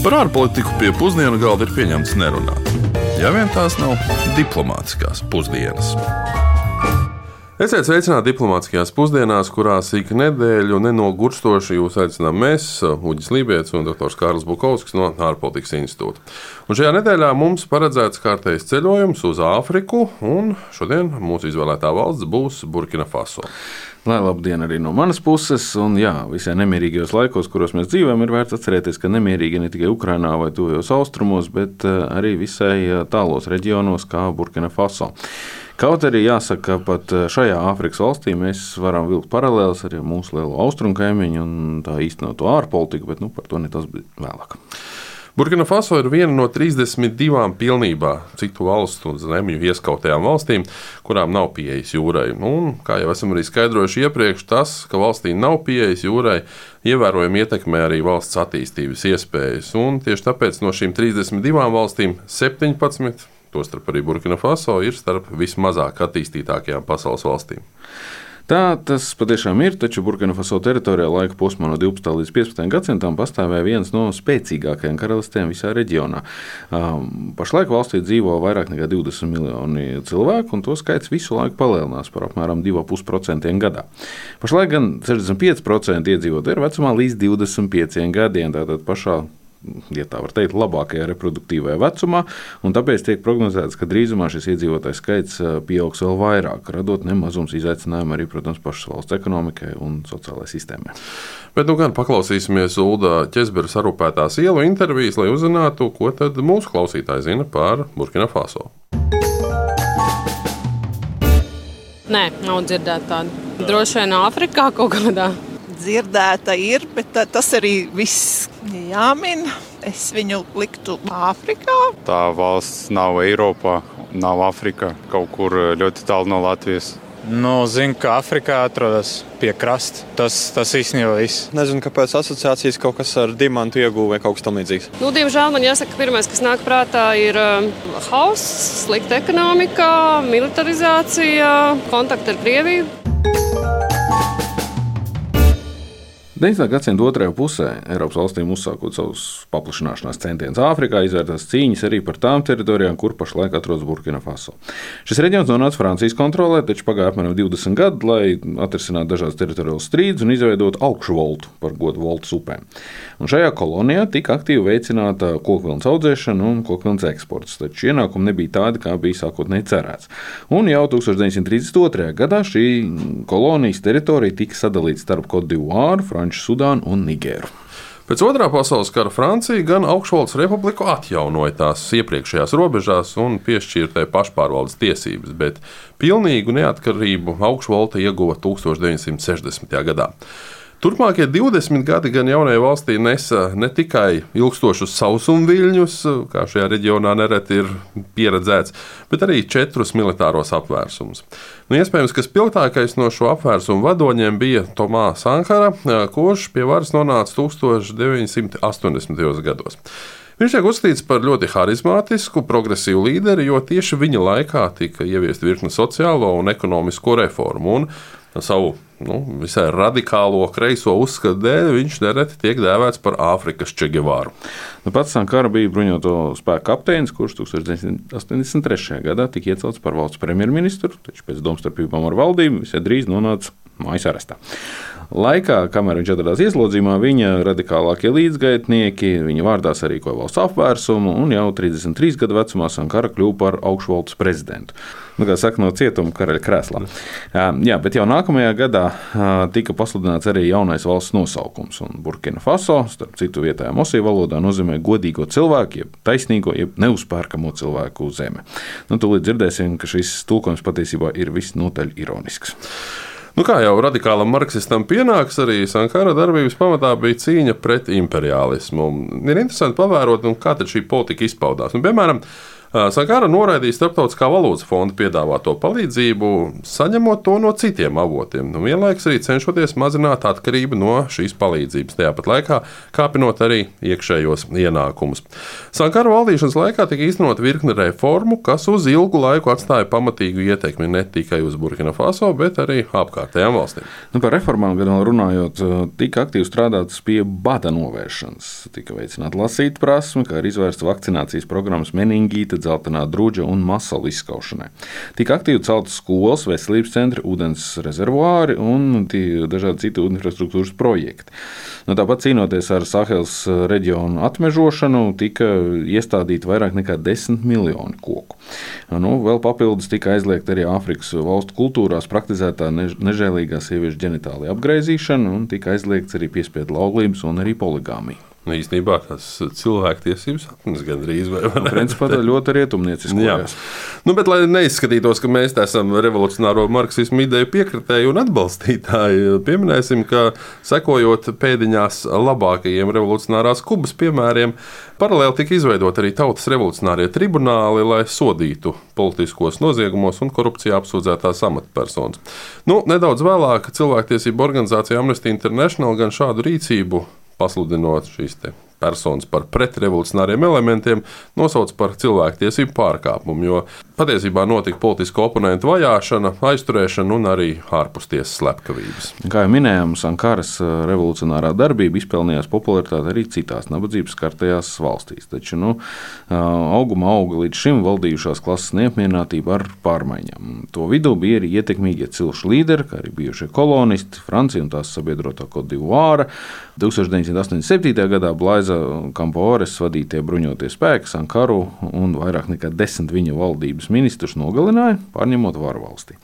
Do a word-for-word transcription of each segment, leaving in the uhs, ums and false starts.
Par ārpolitiku pie pusdienu galda ir pieņemts nerunāt. Ja vien tās nav diplomātiskās pusdienas. Esiet sveicināti diplomātiskajās pusdienās, kurās ik nedēļu nenogurstoši jūs aicinām mēs, Uģis Lībietis un doktors Kārlis Bukovskis no Ārpolitikas institūta. Un šajā nedēļā mums paredzēts kārtējs ceļojums uz Āfriku, un šodien mūsu izvēlētā valsts būs Burkina Faso. Lai labdien arī no manas puses, un jā, visai nemierīgajos laikos, kuros mēs dzīvojam, ir vērts atcerēties, ka nemierīgi ne tikai Ukrainā vai tuvajos austrumos, bet arī visai tālos reģionos kā Burkina Faso. Kaut arī jāsaka, ka pat šajā Āfrikas valstī mēs varam vilkt paralēles ar mūsu lielo austrumu kaimiņu un tā īstenoto ārpolitiku, bet nu, par to netas vēlāk. Burkina Faso ir viena no trīsdesmit divām pilnībā citu valstu un zemju ieskautajām valstīm, kurām nav pieejas jūrai. Un, kā jau esam arī skaidrojuši iepriekš, tas, ka valstī nav pieejas jūrai, ievērojami ietekmē arī valsts attīstības iespējas. Un tieši tāpēc no šīm trīsdesmit divām valstīm septiņpadsmit, tostarp arī Burkina Faso, ir starp vismazāk attīstītākajām pasaules valstīm. Tā tas patiešām ir, taču Burkina Faso teritorijā laika posmā no divpadsmitā līdz piecpadsmitajam gadsimtam pastāvēja viens no spēcīgākajiem karalistēm visā reģionā. Pašlaik valstī dzīvo vairāk nekā divdesmit miljoni cilvēku, un to skaits visu laiku palielinās par apmēram divi komats pieci procenti gadā. Pašlaik gan sešdesmit pieci procenti iedzīvotāji ir vecumā līdz divdesmit pieciem gadiem, tātad pašā, ja tā var teikt, labākajā reproduktīvajā vecumā, un tāpēc tiek prognozēts, ka drīzumā šis iedzīvotāju skaits pieaugs vēl vairāk, radot nemazums izaicinājumu arī, protams, pašas valsts ekonomikai un sociālajai sistēmai. Bet nu gan paklausīsimies Ulda Ķezbera sarūpētās ielu intervijas, lai uzzinātu, ko tad mūsu klausītāji zina par Burkina Faso. Nē, nav dzirdēta tāda. Droši vien Āfrikā kaut kādā. Dzirdēta ir, bet tas arī viss jāmin. Es viņu liktu Āfrikā. Tā valsts nav Eiropā, nav Āfrikā, kaut kur ļoti tālu no Latvijas. Nu, zinu, ka Āfrikā atrodas pie krasta. Tas, tas īstenībā viss. Nezinu, kāpēc asociācijas kaut kas ar diamantu ieguvu vai kaut kas tam līdzīgs. Nu, diemžēl man jāsaka, ka pirmais, kas nāk prātā, ir uh, hauss, slikta ekonomika, militarizācija, kontakti ar Krieviju. deviņdesmitā gadsimta otrajā pusē Eiropas valstīm uzsākot savus paplašināšanās centienus Āfrikā, izvērtās cīņas arī par tām teritorijām, kur pašlaik atrodas Burkina Faso. Šis reģions nonāca Francijas kontrolē, taču pagāja apmēram divdesmit gadi, lai atrisinātu dažādas teritoriālas strīdus un izveidotu augšvoltu par godu voltas upēm. Un šajā kolonijā tika aktīvi veicināta kokvilnas audzēšana un kokvilnas eksports, taču ienākumi nebija tādi, kā bija sākotnēji cerēts. Un jau tūkstoš deviņsimt trīsdesmit otrajā gadā šī kolonijas teritorija tika sadalīta starp Cote d'Ivoire, Sudānu un Nigēru. Pēc otrā pasaules kara Francija gan augšvaldes republiku atjaunoja tās iepriekšējās robežās un piešķīra pašpārvaldes tiesības, bet pilnīgu neatkarību augšvalde ieguva tūkstoš deviņsimt sešdesmitajā gadā. Turpmākie divdesmit gadi gan jaunajai valstī nesa ne tikai ilgstošus sausumviļņus, kā šajā reģionā nereti ir pieredzēts, bet arī četrus militāros apvērsumus. Nu, iespējams, ka spilgtākais no šo apvērsumu vadoņiem bija Tomā Sankara, kurš pie varas nonāca tūkstoš deviņsimt astoņdesmitajos gados. Viņš tiek uzskatīts par ļoti harizmātisku, progresīvu līderi, jo tieši viņa laikā tika ieviesta virkne sociālo un ekonomisko reformu, un savu nu, visai radikālo kreiso uzskatu dēļ viņš nereti tiek dēvēts par Āfrikas Che Guevaru. Nu, pats Sankara bija bruņoto spēku kapteinis, kurš tūkstoš deviņsimt astoņdesmit trešajā gadā tika iecelts par valsts premjerministru, taču pēc domstarpībām ar valdību visai drīz nonāca mājas arestā. Laikā, kamēr viņš atradās ieslodzījumā, viņa radikālākie līdzgaitnieki, viņa vārdā sarīkoja valsts apvērsumu, un jau trīsdesmit trīs gadu vecumā Sankara kļuva par augšvaldes prezidentu. Nu, kā saka, no cietuma karaļa krēslā. Jā, bet jau nākamajā gadā tika pasludināts arī jaunais valsts nosaukums, un Burkina Faso, starp citu vietējā mosī valodā, nozīmē godīgo cilvēku, jeb taisnīgo, jeb neuzpērkamo cilvēku zeme. Nu, tūlīt dzirdēsim, ka šis tulkojums patiesībā ir visnotaļ ironisks. Nu, kā jau radikālam marksistam pienāks, arī Sankara darbības pamatā bija cīņa pret imperiālismu. Ir interesanti pavērot, nu, kā tad šī politika izpaudās. Nu, piemēram, Sankara noraidīja Starptautiskā valūtas fonda piedāvāto palīdzību, saņemot to no citiem avotiem, un vienlaikus arī cenšoties mazināt atkarību no šīs palīdzības, tajā pat laikā kāpinot arī iekšējos ienākumus. Sankara valdīšanas laikā tika īstenot virkne reformu, kas uz ilgu laiku atstāja pamatīgu ietekmi ne tikai uz Burkina Faso, bet arī apkārtējām valstīm. Nu, par reformām gan runājot, tika aktīvi strādāts pie bada novēršanas, tika veicināta lasīt prasme, kā arī izvērsta vakcinācijas programmas meningīta, dzeltenā druģa un masalu izskaušanai. Tika aktīvi celtas skolas, veselības centri, ūdens rezervuāri un dažādi citi infrastruktūras projekti. Nu, tāpat cīnoties ar Sahels reģionu atmežošanu, tika iestādīti vairāk nekā desmit miljoni koku. Nu, vēl papildus tika aizliegta arī Āfrikas valstu kultūrās praktizētā nežēlīgā sieviešu ģenitālija apgreizīšana un tika aizliegts arī piespiedu laulības un arī poligāmija. Nu, īstenībā tas cilvēktiesības atnes gandrīz vai nu, principā tā ļoti rietumnieciskojās. Nu, bet, lai neizskatītos, ka mēs esam revolucionāro marksismu ideju piekritēji un atbalstītāji, pieminēsim, ka sekojot pēdiņās labākajiem revolucionārās Kubas piemēriem, paralēli tika izveidot arī tautas revolucionārie tribunāli, lai sodītu politiskos noziegumos un korupcijā apsūdzētās amatpersonas. Nu, nedaudz vēlāk cilvēktiesību organizācija Amnesty International gan šādu rīcību, pasludinot šīs te personas par pretrevolucionāriem elementiem, nosauc par cilvēktiesību pārkāpumu, jo patiesībā notika politisko oponentu vajāšana, aizturēšana un arī ārpustiesas slepkavības. Kā jau minējām, Sankaras revolucionārā darbība izpelnījās popularitāti arī citās nabadzības skartajās valstīs. Taču nu, auguma auga līdz šim valdījušās klases neapmierinātība ar pārmaiņām. To vidū bija arī ietekmīgie cilšu līderi, kā arī bijušie kolonisti, Francija un tās sabiedrotā Côte d'Ivoire. tūkstoš deviņsimt astoņdesmit septītajā gadā Blaiza Kampores vadītie bruņotie spēki Sankaru un vairāk nekā desmit viņa valdības ministrus nogalināja, pārņemot varu valstī.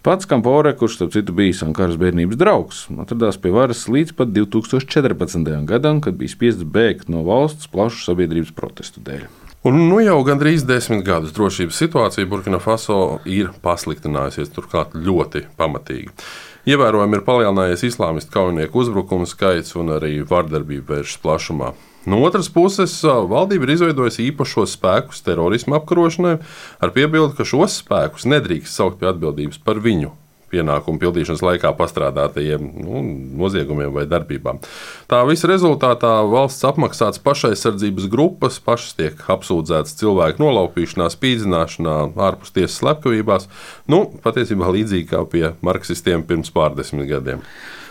Pats Kampore, kurš starp citu bija Sankaras bērnības draugs, atradās pie varas līdz pat divi tūkstoši četrpadsmitajam gadam, kad bija spiests bēgt no valsts plašu sabiedrības protestu dēļ. Un nu jau gandrīz desmit gadus drošības situācija Burkina Faso ir pasliktinājusies, turklāt ļoti pamatīgi. Ievērojami ir palielinājies islāmistu kaujinieku uzbrukumu skaits un arī vardarbība vēršas plašumā. No otras puses, valdība ir izveidojusi īpašos spēkus terorisma apkarošanai, ar piebildi, ka šos spēkus nedrīkst saukt pie atbildības par viņu pienākumu pildīšanas laikā pastrādātajiem nu, noziegumiem vai darbībām. Tā visa rezultātā valsts apmaksāts pašaizsardzības grupas, pašas tiek apsūdzētas cilvēku nolaupīšanā, spīdzināšanā, ārpus tiesas slepkavībās, nu, patiesībā līdzīgi kā pie marksistiem pirms pārdesmit gadiem.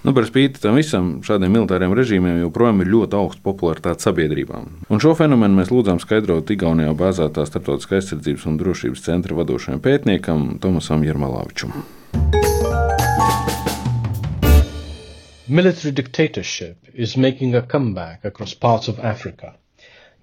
Nu, par spīti tam visam, šādiem militāriem režīmiem joprojām ir ļoti augsta popularitāte sabiedrībām. Un šo fenomenu mēs lūdzām skaidrot Igaunijā bāzētā Starptautiskā aizsardzības un drošības centra vadošajam pētniekam Tomasam Jermalavičam. Military dictatorship is making a comeback across parts of Africa.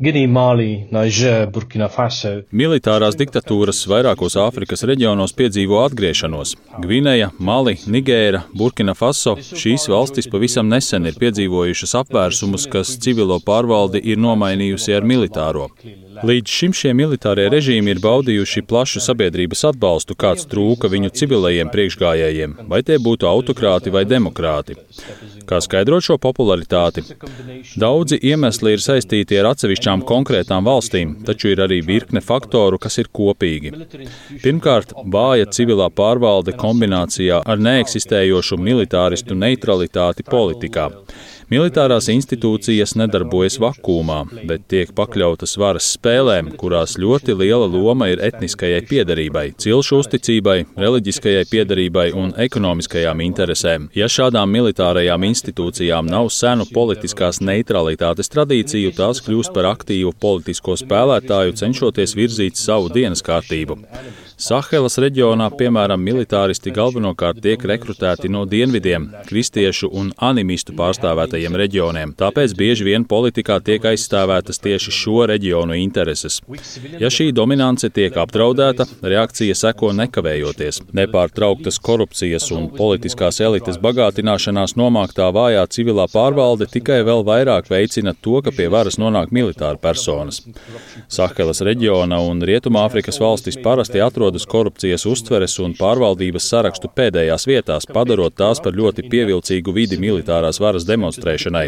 Guinea, Mali, Niger, Burkina Faso. Militārās diktatūras vairākos Āfrikas reģionos piedzīvo atgriešanos. Gvineja, Mali, Nigēra, Burkina Faso - šīs valstis pavisam nesen ir piedzīvojušas apvērsumus, kas civilo pārvaldi ir nomainījusi ar militāro. Līdz šim šie militārie režīmi ir baudījuši plašu sabiedrības atbalstu, kāds trūka viņu civilajiem priekšgājējiem, vai tie būtu autokrāti vai demokrāti. Kā skaidrot šo popularitāti? Daudzi iemesli ir saistīti ar atsevišķām konkrētām valstīm, taču ir arī virkne faktoru, kas ir kopīgi. Pirmkārt, vāja civilā pārvalde kombinācijā ar neeksistējošu militāristu neutralitāti politikā. Militārās institūcijas nedarbojas vakuumā, bet tiek pakļautas varas spēlēm, kurās ļoti liela loma ir etniskajai piederībai, cilšu uzticībai, reliģiskajai piederībai un ekonomiskajām interesēm. Ja šādām militārajām institūcijām nav senu politiskās neutralitātes tradīciju, tās kļūst par aktīvu politisko spēlētāju, cenšoties virzīt savu dienas kārtību. Sahelas reģionā, piemēram, militāristi galvenokārt tiek rekrutēti no dienvidiem, kristiešu un animistu pārstāvētajiem reģioniem, tāpēc bieži vien politikā tiek aizstāvētas tieši šo reģionu intereses. Ja šī dominance tiek apdraudēta, reakcija seko nekavējoties. Nepārtrauktas korupcijas un politiskās elites bagātināšanās nomāktā vājā civilā pārvalde tikai vēl vairāk veicina to, ka pie varas nonāk militāra personas. Sahelas reģiona un Rietumāfrikas valstis parasti atrodas atrodas korupcijas uztveres un pārvaldības sarakstu pēdējās vietās, padarot tās par ļoti pievilcīgu vidi militārās varas demonstrēšanai.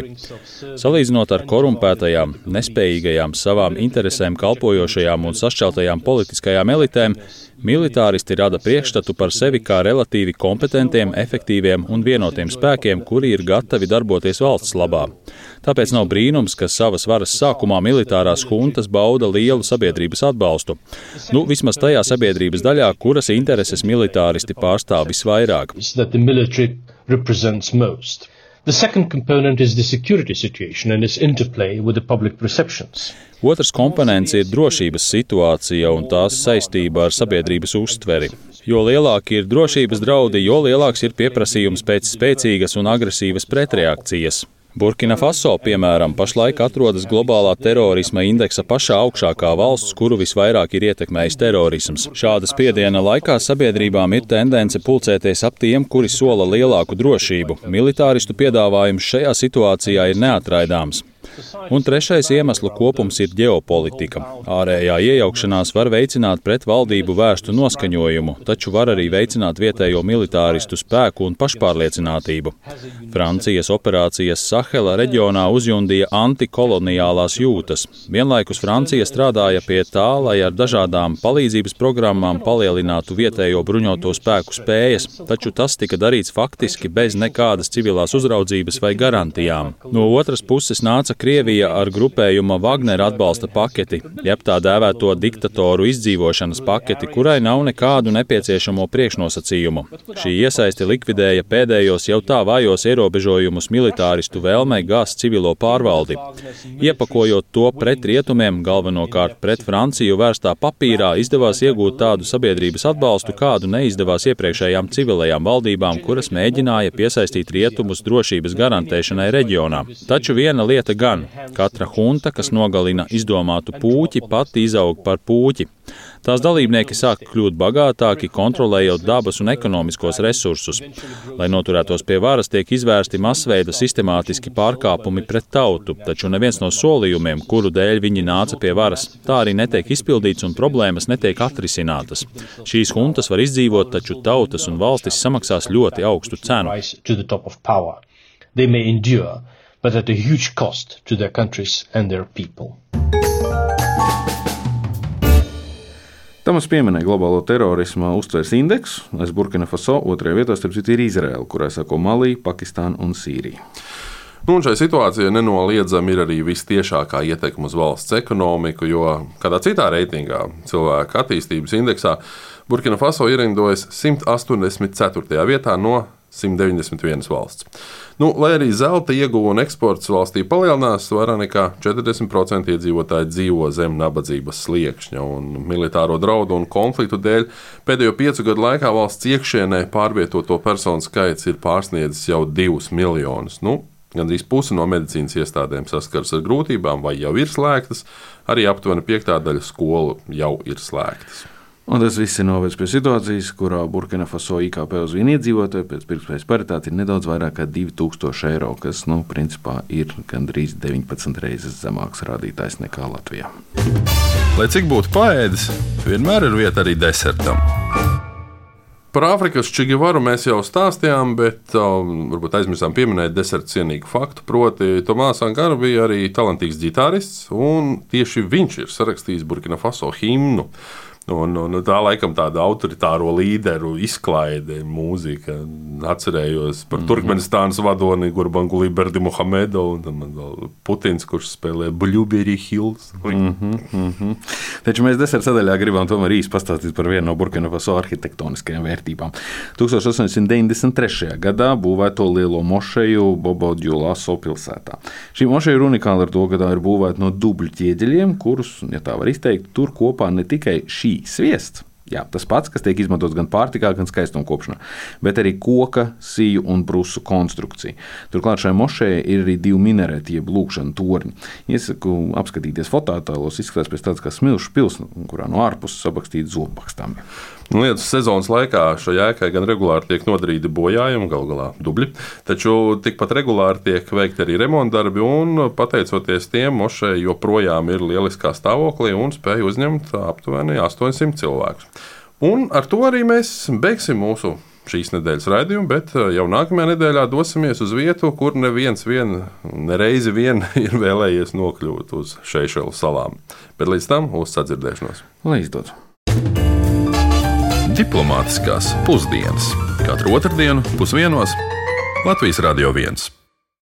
Salīdzinot ar korumpētajām, nespējīgajām, savām interesēm kalpojošajām un sašķeltajām politiskajām elitēm, militāristi rada priekšstatu par sevi kā relatīvi kompetentiem, efektīviem un vienotiem spēkiem, kuri ir gatavi darboties valsts labā. Tāpēc nav brīnums, ka savas varas sākumā militārās huntas bauda lielu sabiedrības atbalstu. Nu, vismaz tajā sabiedrības daļā, kuras intereses militāristi pārstāv visvairāk. The second component is the security situation and its interplay with the public perceptions. Otrs komponents ir drošības situācija un tās saistība ar sabiedrības uztveri. Jo lielāki ir drošības draudi, jo lielāks ir pieprasījums pēc spēcīgas un agresīvas pretreakcijas. Burkina Faso, piemēram, pašlaik atrodas globālā terorisma indeksa pašā augšākā valsts, kuru visvairāk ir ietekmējis terorisms. Šāda spiediena laikā sabiedrībām ir tendence pulcēties ap tiem, kuri sola lielāku drošību. Militāristu piedāvājums šajā situācijā ir neatraidāms. Un trešais iemeslu kopums ir ģeopolitika. Ārējā iejaukšanās var veicināt pret valdību vērstu noskaņojumu, taču var arī veicināt vietējo militāristu spēku un pašpārliecinātību. Francijas operācijas Sahela reģionā uzjundīja antikoloniālās jūtas. Vienlaikus Francija strādāja pie tā, lai ar dažādām palīdzības programmām palielinātu vietējo bruņoto spēku spējas, taču tas tika darīts faktiski bez nekādas civilās uzraudzības vai garantijām. No otras puses nāca Krievija ar grupējuma Wagner atbalsta paketi, jeb tā dēvēto diktatoru izdzīvošanas paketi, kurai nav nekādu nepieciešamo priekšnosacījumu. Šī iesaisti likvidēja pēdējos jau tā vājos ierobežojumus militāristu vēlmei gāzt civilo pārvaldi. Iepakojot to pret rietumiem, galvenokārt pret Franciju vērstā papīrā, izdevās iegūt tādu sabiedrības atbalstu, kādu neizdevās iepriekšējām civilajām valdībām, kuras mēģināja piesaistīt rietumus drošības garantēšanai reģionā. Taču viena lieta gan. Katra hunta, kas nogalina izdomātu pūķi, pati izaug par pūķi. Tās dalībnieki sāk kļūt bagātāki, kontrolējot dabas un ekonomiskos resursus. Lai noturētos pie varas, tiek izvērsti masveida sistemātiski pārkāpumi pret tautu, taču neviens no solījumiem, kuru dēļ viņi nāca pie varas, tā arī netiek izpildīts un problēmas netiek atrisinātas. Šīs huntas var izdzīvot, taču tautas un valstis samaksās ļoti augstu cenu. But at a huge cost to their countries and their people. Tamas pieminēja globālo terorisma uztveres indeksu. Aiz Burkina Faso otrajā vietā starp citu ir Izraela, kurai sako Malī, Pakistāna un Sīrija. Nu, un šai situācijai nenoliedzami ir arī vistiešākā ietekme uz valsts ekonomiku, jo kādā citā reitingā, cilvēka attīstības indeksā, Burkina Faso ierindojas simt astoņdesmit ceturtajā vietā no simt deviņdesmit vienas valsts. Nu, lai arī zelta ieguva un eksports valstī palielinās, vairāk nekā četrdesmit procenti iedzīvotāji dzīvo zem nabadzības sliekšņa, un militāro draudu un konfliktu dēļ pēdējo piecu gadu laikā valsts iekšienē pārvietoto personu skaits ir pārsniedzis jau divus miljonus. Nu, gandrīz pusi no medicīnas iestādēm saskaras ar grūtībām vai jau ir slēgtas, arī aptuveni piektā daļa skolu jau ir slēgtas. Un tas viss ir novedis pie situācijas, kurā Burkina Faso I K P uz vienu iedzīvotāju pēc pirktspējas paritāte ir nedaudz vairāk kā divi tūkstoši eiro, kas, nu, principā ir gandrīz deviņpadsmit reizes zemāks rādītājs nekā Latvijā. Lai cik būtu paēdis, vienmēr ir vieta arī desertam. Par Āfrikas Čigivaru mēs jau stāstījām, bet um, varbūt aizmirsām pieminēt deserta cienīgu faktu, proti Tomās Sankara bija arī talantīgs ģitārists, un tieši viņš ir sarakstījis Burkina Faso himnu. Un, un tā laikam tāda autoritāro līderu izklaide, mūzika. Atcerējos par mm-hmm. Turkmenistānas vadoni Gurbanguly Berdimuhamedovu un vēl Putins, kurš spēlē Blueberry Hills. Mm-hmm, mm-hmm. Taču mēs deserta sadaļā gribam tomēr īsti pastāstīt par vienu no Burkina Faso arhitektoniskajām vērtībām. tūkstoš astoņsimt deviņdesmit trešajā gadā būvēto lielo mošeju Bobo-Djulaso pilsētā. Šī mošeja ir unikāla ar to, ka tā ir būvēta no dubļu ķieģeļiem, kurus, ja tā var izteikt, tur kopā ne tikai šī sviests, jā, tas pats, kas tiek izmantots gan pārtikā, gan skaistumkopšanā, bet arī koka, siju un brusu konstrukcija. Turklāt šai mošejai ir arī divi minareti, jeb lūkšana torņi. Iesaku apskatīties fototēlos, izskatās pēc tāds kā smilšu pils, kurā no ārpuses sabakstīti zobbakstāmi. Lietus sezonas laikā šai ēkai gan regulāri tiek nodarīti bojājumi, galu galā dubļi, taču tikpat regulāri tiek veikti arī remontdarbi, un pateicoties tiem, mošeja joprojām ir lieliskā stāvoklī un spēj uzņemt aptuveni astoņsimt cilvēkus. Un ar to arī mēs beigsim mūsu šīs nedēļas raidījumu, bet jau nākamajā nedēļā dosimies uz vietu, kur neviens vien, nereizi vien ir vēlējies nokļūt uz Seišelu salām. Bet līdz tam uz sadzirdēšanos. Lai izdodas! Diplomātiskās pusdienas katru otrdienu pusdienos Latvijas Radio viens.